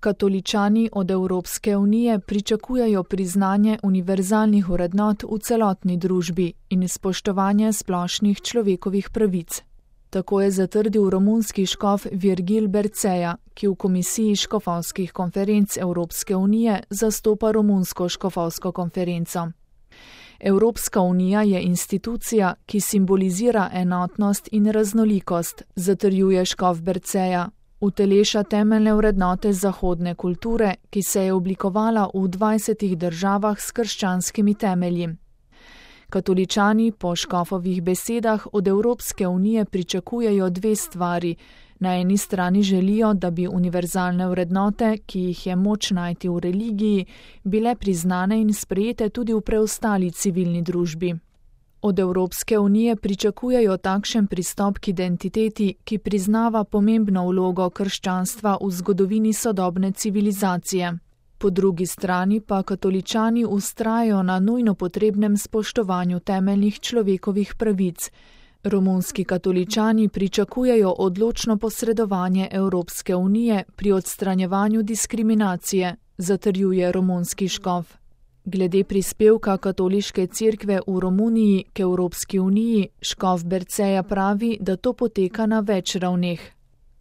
Katoličani od Evropske unije pričakujejo priznanje univerzalnih vrednot v celotni družbi in spoštovanje splošnih človekovih pravic. Tako je zatrdil romunski škof Virgil Berceja, ki v Komisiji škofovskih konferenc Evropske unije zastopa romunsko škofovsko konferenco. Evropska unija je institucija, ki simbolizira enotnost in raznolikost, zatrjuje škof Berceja. Uteleša temeljne vrednote zahodne kulture, ki se je oblikovala v 20 državah s krščanskimi temelji. Katoličani po škofovih besedah od Evropske unije pričakujejo dve stvari. Na eni strani želijo, da bi univerzalne vrednote, ki jih je moč najti v religiji, bile priznane in sprejete tudi v preostali civilni družbi. Od Evropske unije pričakujejo takšen pristop k identiteti, ki priznava pomembno vlogo krščanstva v zgodovini sodobne civilizacije. Po drugi strani pa katoličani vztrajajo na nujno potrebnem spoštovanju temeljnih človekovih pravic. Romunski katoličani pričakujejo odločno posredovanje Evropske unije pri odstranjevanju diskriminacije, zatrjuje romunski škof. Glede prispevka katoliške cerkve v Romuniji k Evropski uniji, škof Berceja pravi, da to poteka na več ravneh.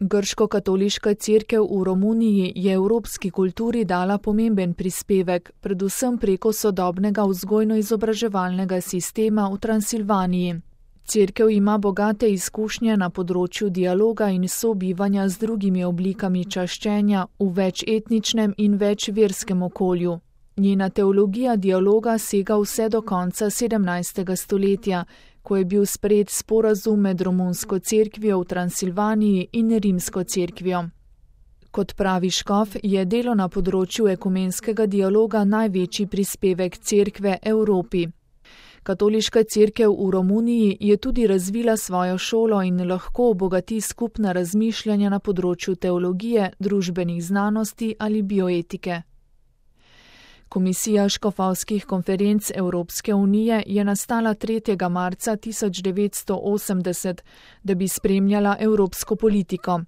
Grško-katoliška cerkev v Romuniji je evropski kulturi dala pomemben prispevek, predvsem preko sodobnega vzgojno-izobraževalnega sistema v Transilvaniji. Cerkev ima bogate izkušnje na področju dialoga in sobivanja z drugimi oblikami čaščenja v večetničnem in večverskem okolju. Njena teologija dialoga sega vse do konca 17. stoletja, ko je bil sprejet sporazum med romunsko cerkvijo v Transilvaniji in rimsko cerkvijo. Kot pravi škof, je delo na področju ekumenskega dialoga največji prispevek cerkve Evropi. Katoliška cerkev v Romuniji je tudi razvila svojo šolo in lahko obogati skupna razmišljanja na področju teologije, družbenih znanosti ali bioetike. Komisija škofovskih konferenc Evropske unije je nastala 3. marca 1980, da bi spremljala evropsko politiko.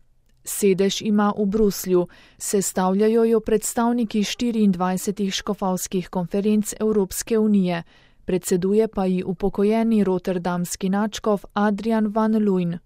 Sedež ima v Bruslju, sestavljajo jo predstavniki 24 škofovskih konferenc Evropske unije, predseduje pa ji upokojeni rotterdamski nadškof Adrian van Luijn.